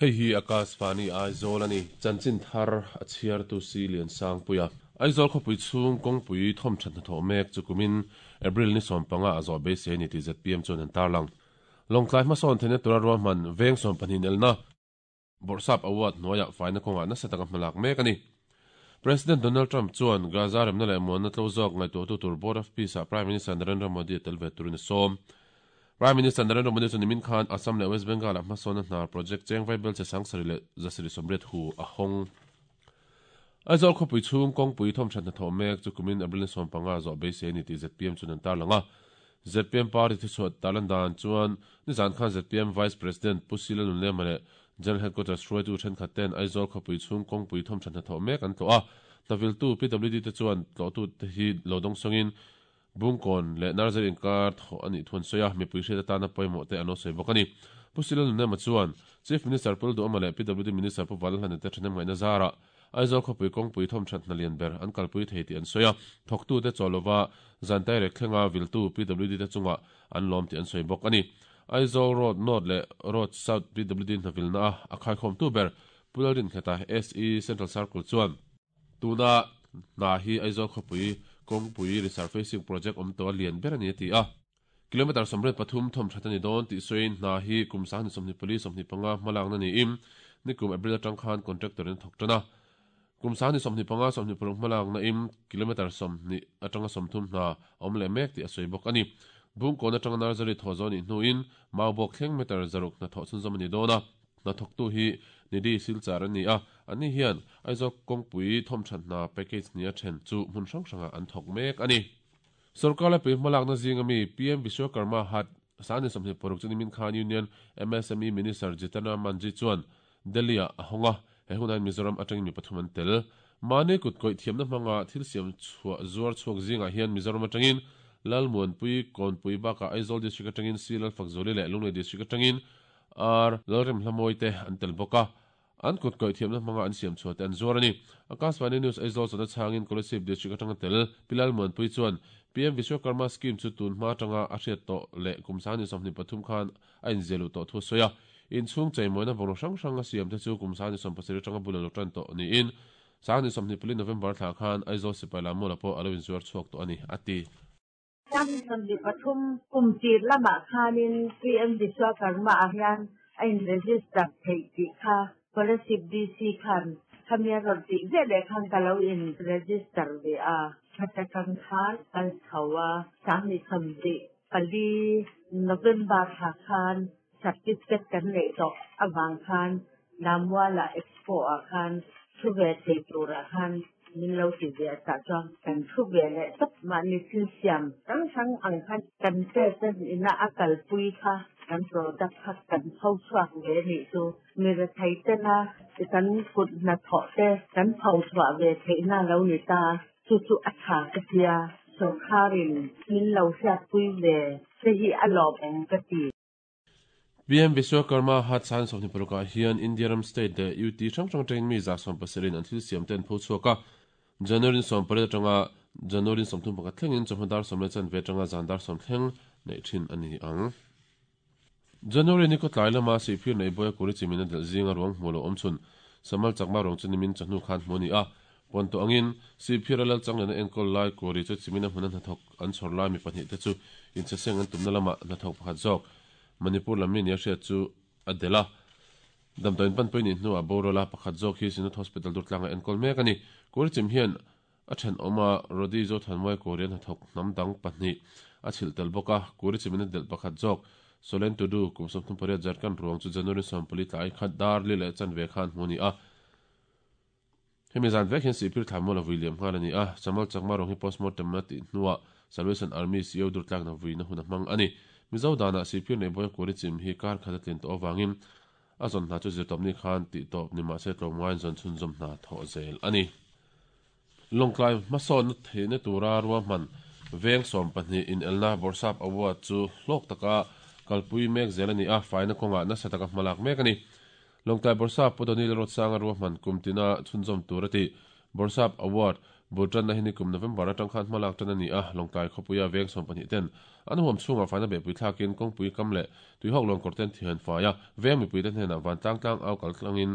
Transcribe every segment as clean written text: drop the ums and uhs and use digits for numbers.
Hei hi Akashvani Aizawl a ni. Chanchin thar a chhiartu Si Liansangpuia. Aizawl khawpui chhung kawngpui thawmthat hnathawh mek chu kumin April ni 15 a zawh beisei a ni tih zpm chuan an tarlang. Lawngtlai hmasawn theihna tura ruahman veng 12 elna Bawrhsap Award hnuaiah faina kawngah nasa taka hmalak mek a ni. President Donald Trump chuan Gaza remna leh muanna tlo zawk ngaihtuahtu tur Board of Peace-ah Prime Minister Narendra Modi a tel ve turin a sawm. Prime Minister Narendra Modi chuan nimin khan Assam leh West Bengal-ah hmasawnna hnar project cheng vaibel che 7880 hu a hawng. Aizawl khawpui chhung kawngpui thawmthat hnathawh mek chu kumin April ni 15 zawh beisei a ni tih zpm chuan an tarlang a. Zpm party thuchhuah tarlan dan chuan nizan khan zpm Vice President Pu Sila Nunlema leh General Headquarters hruaitu thenkhat ten Aizawl khawpui chhung kawngpui thawmthat hnathawh mek an tlawh a. Hnaviltu PWD te chuan tlawhtute hi lo dawngsawngin Bungkawn leh Nursery inkar thawh a nih thu an sawi a, mipui hriat atana pawimawh te an lo sawi bawk a ni. Pu Sila Nunlema chuan Chief Minister Pu Duhawma leh PWD Minister Pu Valhlane te thahnem ngaihna zarah Aizawl khawpui kawngpui thawmthat hna lian ber an kalpui thei tih an sawi a, thawktute chaw lova zan tairek thlenga viltu PWD te chungah an lawm tih an sawi bawk a ni. Aizawl Road North leh Road South PWD hna vilna a a khaikhawmtu ber Pu Lalrinkheta SE Central Circle chuan, Tuna hna hi Aizawl khawpui kawngpui resurfacing project awm tawh a lian ber a ni a ti a. Kilometre 83 thawmthat a ni dawn tih sawiin hna hi kum 24 25 hmalakna niin nikum April atang khan contractor in a thawk tan a. Kum 25 26 hmalakna in kilometre 20 atanga 30 hna a awm leh mek tih a sawi bawk a ni. Bungkawn atanga Nursery thawh zawh nih hnuin Maubawk thleng meter 600 hna thawh chhunzawm a ni dawn a. Hna thawktu hi Nidhi Silchar a ni a, anni hian Aizawl kawngpui thawmthat hna package hnih a then chu hmun hrang hrangah an thawk mek a ni. Sorkar lepui hmalakna zinga mi PM Vishwakarma Hat 26 chu nimin khan Union MSME Minister Jitendra Manjhi chuan Delhi-ah a hawng a, he hunah hian Mizoram atangin mi pathum an tel. Mahni kut kawih thiamna hmanga thil siam chhuah zuar chhuak zingah hian Mizoram atangin Lalmuanpui, Kawnpui bakah Aizawl District atangin C Lalfakzawli leh Lunglei District atangin R Lalremhlamawii te an tel bawk a. An kut kawih thiamna hmanga an siam chhuah te an zuar a ni. Akashvani News Aizawl chawlhna chhangin Kolasib District atanga tel Pi Lalmuanpui chuan PM Vishwakarma Scheme chu tun hma atanga a hriat tawh leh kum 23 khan a inziah luh tawh thu a sawi a. Inchhung cheimawina bungraw hrang hrang a siam te chu kum 27 atanga bul a lo tan tawh niin 24 November thla khan Aizawl Sipai Lammuala pawh a lo inzuar chhuak tawh a ni, a ti. 23 kum tir lamah khanin PM Vishwakarma ah hian a in register theih tih kha Kolasib DC khan khami a rawn tih ve leh khan ka lo in register ve a. Khata kang khan kal chho a, 24 November thla khan certificate kan neih tawh avang khan Lammuala Expo ah khan thu ve thei turah khan min lo ti ve tah chuan kan thu ve leh tawp. Mahni thil siam hrang hrang ang khan kan president ina a kalpui kha kan product kha kan pho chhuak ve nih chu mi rethei tena kan kut hnathawh te kan pho chhuah ve theihna lo ni ta chu chu a tha ka tia sawrkharin min lo hriatpui ve te hi a lawmawm ka ti. PM Vishwakarma Hat 26 ah hian India ram state leh UT hrang hrang atangin mi 70% an thil siam te an pho chhuak a. January 18 atanga January 31 thlengin chawhma dar 10:15 atanga zan dar 10 thleng neih thin a ni ang. January ni khawtlai lama Sihphir nei Bawia Kuri chimin a delh zinga ruang hmuh lo awm chhun Samal Chakma ruang chu nimin chawhnu khan hmu a ni a. Pawn tawh angin Sihphir a lal changlena enkawl lai Kuri chu chimina hmuna hnathawk an chhawr lai mi pahnih te chu inchheseng an tumna lamah hnathawk pakhat zawk Manipur lam mi nia hriat chu a delh a. Damdawiin panpui nih hnuah boral a pakhat zawk hi Synod Hospital Durtlanga enkawl mek a ni. Kuri chim hian a thenawm a Rodi Zothanmuai Korean hnathawk hnam dang pahnih a chhilh tel bawk a. Kuri chimin a delh pakhat zawk Solen Tudu kum 38 Jharkhand ruang chu January 14 tlai khat dar li leh chanve khan hmu a ni a. Hemi zan vek hian Sihphir Thlamual a vui liam nghal a ni a, Chamal Chakma rawng hi postmortem a tih hnuah Salvation Army CEO durtlakna vuina hun a hmang a ni. Mizo danah Sihphir nei Bawia Kuri chim hi kar khat a tlin tawh avangin a zawn hna chu zirtawpni khan tih tawp ni mahse tlawmngaiin zawn chhunzawm hna thawh zel a ni. Lawngtlai hmasawnna theihna tura ruahman veng 12 inelna Bawrhsap Award chu hlawk taka kalpui mek zel a ni a, faina kawngah nasa taka hmalak mek a ni. Lawngtlai Bawrhsap Pu Donil Rotsanga ruahman kum tina chhunzawm tur a ti. Bawrhsap Award Bul tanna hi nikum November atang khan hmalak tan a ni a, Lawngtlai khawpuia veng 12 ten an huam chhungah faina behpui thlakin kawngpui kam leh tuihawk lawn kawr ten thian fai a, veng mipuite hnenah vantlang tlang au kal tlangin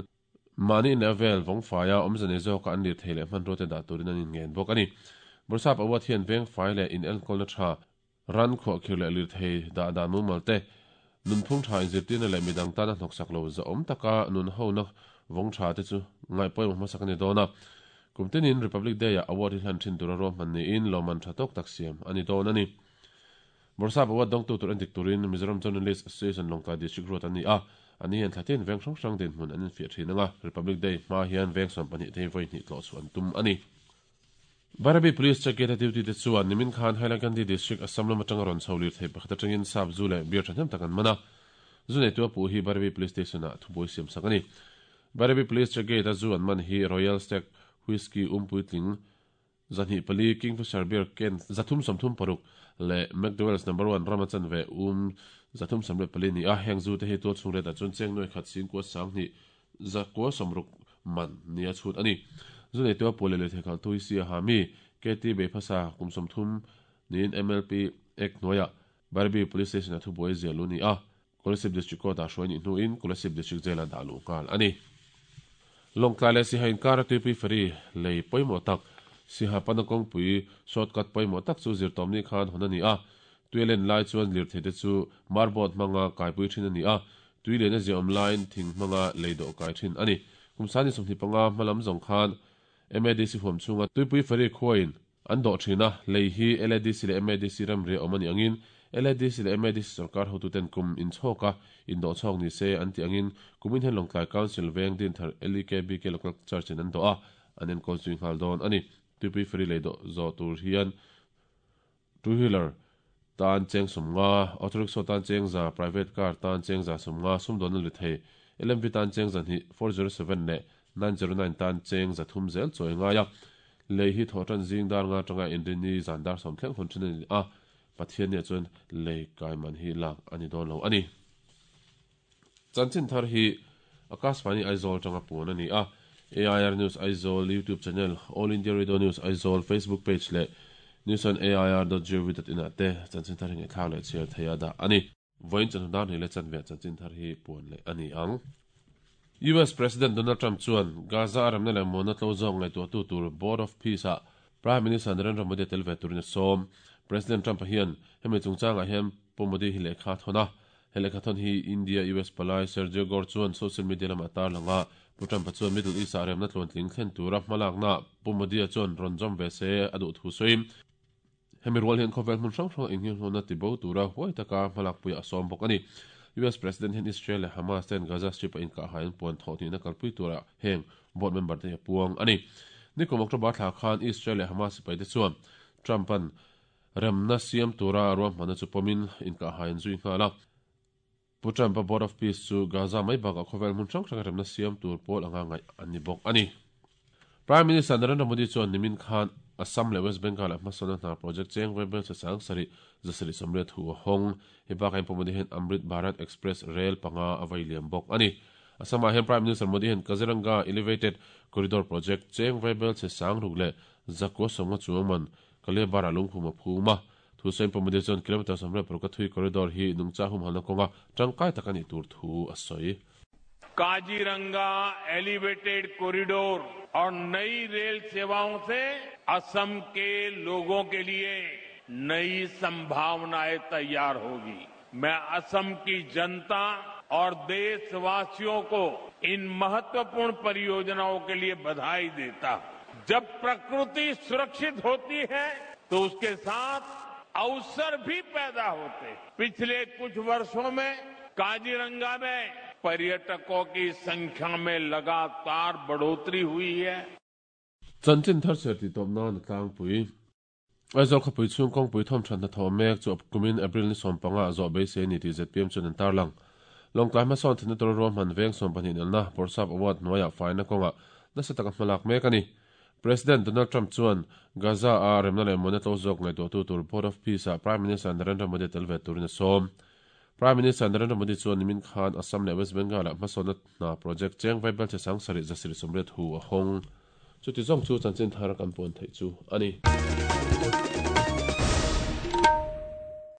mahni in leh a vel vawng faia awmze nei zawka an lir thei leh hmanrua te dah turin an inngen bawk a ni. Bawrhsap Award hian veng fai leh inenkawlna tha Ran khuahkhir leh lirthei dah dan mumal te, nunphung tha inzirtirna leh midang tana hnawksak lo zahawm taka nun hona vawng tha te chu ngaihpawimawh hmasak a ni dawn a. Kum tinin Republic Day-ah award hi hlan thin tura ruahman niin lawmman tha tawk tak siam a ni dawn a ni. Bawrhsap award dawngtu tur endik turin Mizoram Journalist Association Lawngtlai District ruat an ni a, ani hian thlatin veng hrang hrang dinhmun an infiah thin ang a, Republic Day hma hian veng 12 te hi vawi hnih tlawh chhuah an tum a ni. Bairabi Police check gate a duty te chuan nimin khan Hailakandi District Assam lam atanga rawn chho lirthei pakhat atangin sap zu leh beer thahnem tak an man a. Zu neitu a puh hi Bairabi Police Station ah thubuai siam sak a ni. Bairabi Police check gate a zu an man hi Royal Stag Whisky um puitling 204, Kingfisher Beer can 336 leh McDowell's Number One rama chanve um 314 ni a. Heng zu te hi tual chhung ret ah chuan cheng nuai khat singkua sanghnih 960 man nia chhut a ni. Zu neitu a puah leh lirthei khalh tui si a ha mi, KT Beiphasa kum 30 niin MLP Act hnuaiah Bairabi Police Station-a thubuai ziah lu ni a, Kolasib District Court-ah hruai nih hnuin Kolasib District Jail-ah dah luh nghal a ni. Lawngtlai leh Siha inkara tuipui ferry lei pawimawh tak, Siha pana kawngpui shortcut pawimawh tak chu zirtawmni khan hawn a ni a, tui a len lai chuan lirthei te chu marboat hmanga kaipui thin a ni a, Tui lian a ziahawm laiin thing hmanga lei dawh kai thin a ni. Kum sani 25 hma lam zawng khan MADC huam chhunga Tuipui Ferry khuain an dawh thin a, lei hi LADC leh MADC ramri a awm a nih angin LADC leh MADC sorkar hotuten kum inchhawka indawh chhawk ni se an tih angin kumin hian Lawngtlai Council veng Dinthar LEKBK Local Church in an dawh a, an enkawl zui nghal dawn a ni. Tuipui Ferry lei dawh zawh tur hian Two wheeler tan cheng 50, auto rickshaw tan cheng 100, private car tan cheng 150, sumdawnna li thei, LMV tan cheng 200, 407 leh 909 tan cheng 300 zel chawi ngai a. Lei hi thawhtan zing dar nga atanga inrini zan dar sawm thleng hawn thin a ni a, Pathiannia chuan lei kai man hi lak a ni dawn lo a ni. Chanchin thar hi Akashvani Aizawl atanga puan a ni a, AIR News Aizawl YouTube channel, All India Radio News Aizawl Facebook page leh newsonair.gov.in ah te chanchin thar hi ngaihthlak leh chhiar theih a dah a ni. Vawiin chawhnu dar hnih leh chanve ah chanchin thar hi puan leh a ni ang. US President Donald Trump chuan Gaza a remna leh muanna tlo zawk ngaihtuahtu tur Board of Peace ah Prime Minister Narendra Modi a tel ve turin a sawm. President Trump-a hian hemi chungchangah hian Pu Modi hi lehkha a thawn a, He lehkhathawn hi India US palai Sergio Gor chuan social media lamah a tarlang a, Pu Trump-a chuan Middle East-ah remna tluantling thlen tura hmalaknaah Pu Modi-a chuan rawn zawm ve se a duh thu sawiin, hemi rual hian khawvel hmun hrang hranga innghenghawna tibo tura huai taka hmalakpuiah a sawm bawk a ni. US President hian Israel leh Hamas ten Gaza Strip-a inkahhai an puan thawh hnihna kalpui tura heng board member te hi a puang a ni. Nikum October thla khan Israel leh Hamas sipaite chuan Trump-a'n Remna siam tura ruahmanna chu pawmin inkahhai an zui nghal a. Pu Trump-a Board of Peace chu Gaza mai bakah khawvel hmun hrang hranga remna siam tur pawl anga ngaih an ni bawk a ni. Prime Minister Narendra Modi chuan nimin khan Assam leh West Bengal-ah hmasawnna hna project cheng vaibel che sang sarih 780 thu a hawng. Hei bakah hian Pu Modi hian Amrit Bharat Express rel panga a vai liam bawk a ni. Assam-ah hian Prime Minister Modi hian Kaziranga Elevated Corridor project cheng vaibel che sang ruk leh 950 chuang man Kaliabar-ah lungphum a phum a, Thusain Pamudi chuan kilometre 36 a thui corridor hi nungcha humhalna kawnga tangkai tak a nih tur thu a sawi. Kaziranga elevated corridor और नई rail सेवाओं से असम के लोगों के लिए नई संभावनाएं तैयार होगी। मैं असम की जनता और देशवासियों को इन महत्वपूर्ण परियोजनाओं के लिए बधाई देता हूं। जब प्रकृति सुरक्षित होती है तो उसके साथ अवसर भी पैदा होते हैं। पिछले कुछ वर्षों में काजीरंगा में पर्यटकों की संख्या में लगातार बढ़ोतरी हुई है। Chanchin thar chhiar tih tawp nan a tlangpui. Aizawl khawpui chhung kawngpui thawmthat hnathawh mek chu kumin April ni 15 ah zawh beisei a ni tih zpm chuan an tarlang. Lawngtlai hmasawn thinna tura ruahman veng 12 nelna Bawrhsap Award hnuaiah faina kawngah nasa taka hmalak mek a ni. President Donald Trump chuan Gaza a remna leh mawina tlo zawk ngaihtuahtu tur Board of Peace ah Prime Minister Narendra Modi a tel ve turin a sawm. Prime Minister Narendra Modi chuan nimin khan Assam leh West Bengal ah hmasawnna hna project cheng vaibel che sang 780 hu a hawng. Chuti zawng chu chanchin thar kan puan theih chu a ni.